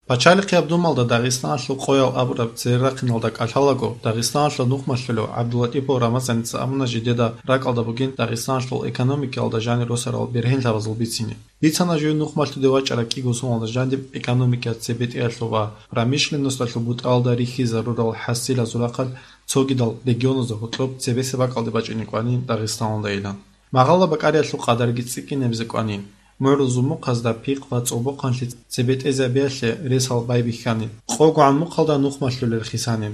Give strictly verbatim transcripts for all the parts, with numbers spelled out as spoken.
Пачалихъияб Думалда Дагъистаналъул къоял абураб цере рахъиналда кӀалъалаго, Дагъистаналъул нухмалъулев ГӀабдулатӀипов Рамазаница абуна жидеда ракӀалда бугин Дагъистаналъул экономикаялда жанир росарал бергьенлъабазул бицине. Бицана жив нухмалъуде вачӀараб кӀиго соналда жандиб экономикаялъ цебетӀеялъул ва промышленносталъул бутӀалда рихьизарурал хӀасилазул рахъалъ цогидал регионазда гьоркьоб цебесеб бакӀалде бачӀине кӀванин Дагъистаналдайилан. Магъала бакӀариялъул къадарги цӀикӀкӀинабизе кӀванин. МугӀрул зумухъазда пихъ ва цӀобохъанлъи цебетӀезабиялъе ресал байбихьанин. КъогогӀан мухъалда нухмалъулел хисанин.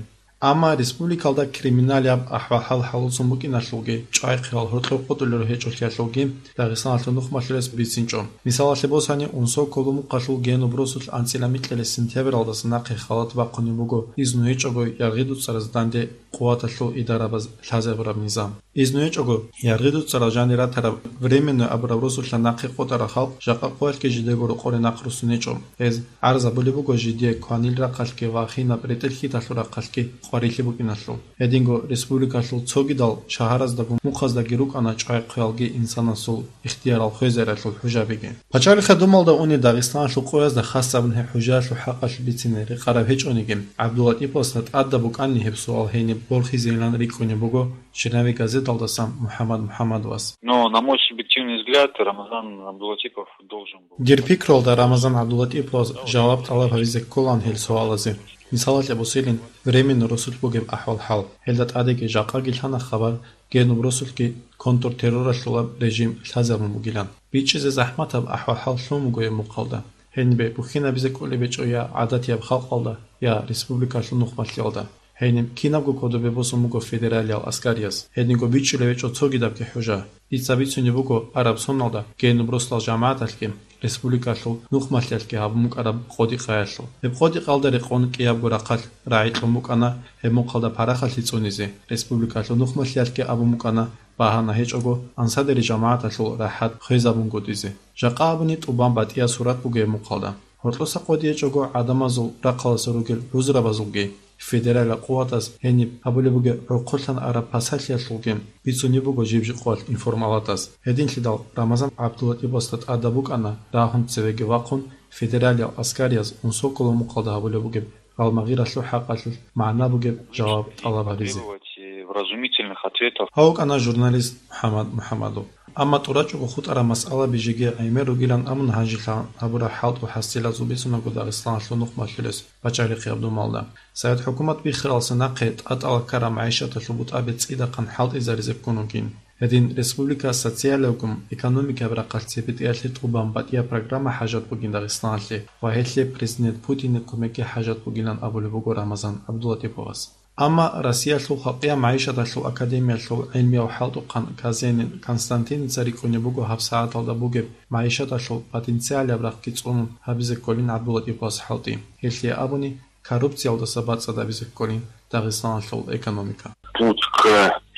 Амма республикалда криминалияб ахӀвал-хӀал хӀалуцун букӀиналъулги, чӀвай-хъвал гьоркьоб къотӀулел гьечӀолъиялъулги Дагъистаналъул нухмалъулес бицинчӀо. Мисалалъе босани, Унсоколо мухъалъул Генуб росулъ анцӀила микьилес сентябралдаса нахъе халат бахъунеб буго, изну гьечӀого яргъи дуцӀаразда данде къуваталъул идарабаз лъазабураб низам. Изну гьечӀого, яргъи дуцӀарал жанир ратараб Временное абураб росулъа нахъе къотӀарал халкъ жакъа къоялъги жидего рокъоре нахъ руссун гьечӀо. Гьез гӀарзабулеб буго жидее кванил рахъалъги ва хинаб ретӀел-хьиталъул рахъалъги къварилъи букӀиналъул. Гьединго республикалъул цогидал шагьараздаго мухъаздаги рукӀана чӀвай-хъвалги инсанасул ихтиярал хвезаралъул хӀужабиги. Пачалихъа Думалда унел Дагъистаналъул къоязда хас абун гьеб хӀужаялъул хӀакъалъулъ бицине рекъараб гьечӀониги, ГӀабдулатӀиповасда тӀадаб букӀанни гьеб суал гьениб борхизейилан рикӀкӀунеб буго Черновик газеталдасан МухӀаммад МухӀаммадовас. Но, на мой субъективный взгляд, Рамазан Абдулатипов должен был. Дир пикруялда, Рамазан ГӀабдулатӀиповас жаваб тӀалаб гьабизе кколаан гьел суалазе. Мисалалъе босилин, Временный росулъ бугеб ахӀвал-хӀал. Гьелда тӀадеги жакъаги лъана хабар, Генуб росулъги контртерроралъулаб режим лъазабун бугилан. БичӀчӀизе захӀматаб ахӀвал-хӀал лъун буго гьеб мухъалда. Гьенибе бухьинабизе кӀолеб гьечӀо я гӀадатияб халкъалда, я республикалъул нухмалъиялда. Гьениб кинабго кодобе босун буго федералиял аскарияс. Гьединго бичӀчӀулеб гьечӀо цогидабги хӀужа. Дица бицунеб буго араб соналда Генуб росдал жамагӀаталъги, республикалъул нухмалъиялъги гьабун букӀараб къотӀи-къаялъул. Гьеб къотӀи-къаялда рекъон кӀиябго рахъалъ рагӀи кьун букӀана гьеб мухъалда парахалъи цӀунизе. Республикалъул нухмалъиялъги абун букӀана багьана гьечӀого ансадери жамагӀаталъул рахӀат хвезабунгутӀизе. Жакъа абуни тӀубан батӀияб сурат буго гьеб мухъалда. Гьоркьоса къотӀи гьечӀого гӀадамазул рахъалъа ругел гӀузрабазулги, федералил къуватаз гьениб гьабулеб бугеб гӀурхъулъан араб пасалъиялъулги бицунеб буго жиб-жиб къоялъ информалатаз. Гьединлъидал Рамазан ГӀабдулатӀиповасда тӀадаб букӀана рагьун цевеги вахъун федералиял аскарияз Унсоколо мухъалда гьабулеб бугеб гьалмагъиралъул хӀакъалъулъ магӀна бугеб жаваб тӀалаб гьабизе. Требовать, э, вразумительных ответов. Гьав вукӀана журналист МухӀаммад МухӀаммадов. Амма тӀурачӀого хутӀараб масъалаби жеги гӀемер ругилан абун гьанжелъан гьабураб хӀалтӀул хӀасилазул бицунаго Дагъистаналъул нухмалъулес пачалихъияб Думалда. Совет хӀукумат биххаралса нахъе тӀатӀала ккараб магӀишаталъул бутӀаби цӀидахъан хӀалтӀизаризе ккун вугин. Гьедин республика социалиябгун экономикаяб рахъалъ цебетӀеялъе тӀубан батӀияб программа хӀажат бугин Дагъистаналъе ва гьелъие президент Путинил кумекги хӀажат бугилан абулеб буго Рамазан ГӀабдулатӀиповас. Амма Россиялъул халкъияб магӀишаталъул академиялъул гӀилмияв хӀалтӀухъан Казенин Константиница рикӀкӀунеб буго гьабсагӀаталда бугеб магӀишаталъул потенциалияб рахъги цӀунун гьабизе кколин ГӀабдулатӀиповас хӀалтӀи. Гьелъие абуни, коррупциялдаса бацӀцӀад гьабизе кколин Дагъистаналъул экономика. Путь к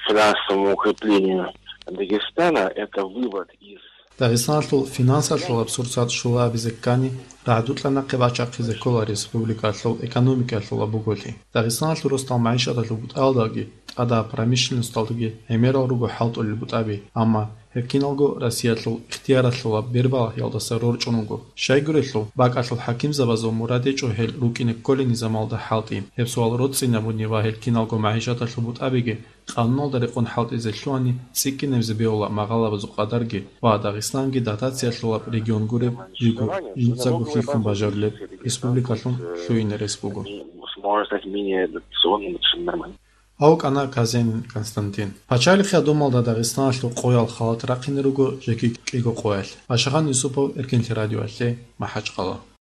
финансовому укреплению Дагестана — это вывод из Дагъистаналъул финансалъулаб сурсат щула абизе ккани, рагӀдукьа нахъе бачахъизе ккола республикалъул экономикалъула буголъи. Дагъистаналъул росдал магӀишаталъул бутӀалдаги, тӀадаб промышленносталдаги гӀемерал руго хӀалтӀулел бутӀаби, амма гьеб киналго Россиялъул ихтияралъулаб бербалъиялдаса рорчӀун руго. Щайгурелъул, бакӀалъул хӀакимзабазул мурад гьечӀо гьел рукӀине кколел низамалда хӀалтӀи. Гьеб суал роцӀцӀинабуни ва гьел киналго магӀишаталъул бутӀабиги къануналда рекъон хӀалтӀизе лъугьани, цӀикӀкӀинабизе бегьула магъалабазул къадарги ва Дагъистанги дотациялъулаб регион гуреб жиго, жинцаго хьихьун бажарулеб республикалъун лъугьине рес буго. Возможность менее дотационным, это нормально. Гьав вукӀана Казенин Константин. Пачалихъияб Думалда Дагъистаналъул къоял халат рахъине руго жеги кӀиго къоялъ. Ашагъан Юсупов, Эркинлъи радиоялъе, МахӀачхъала.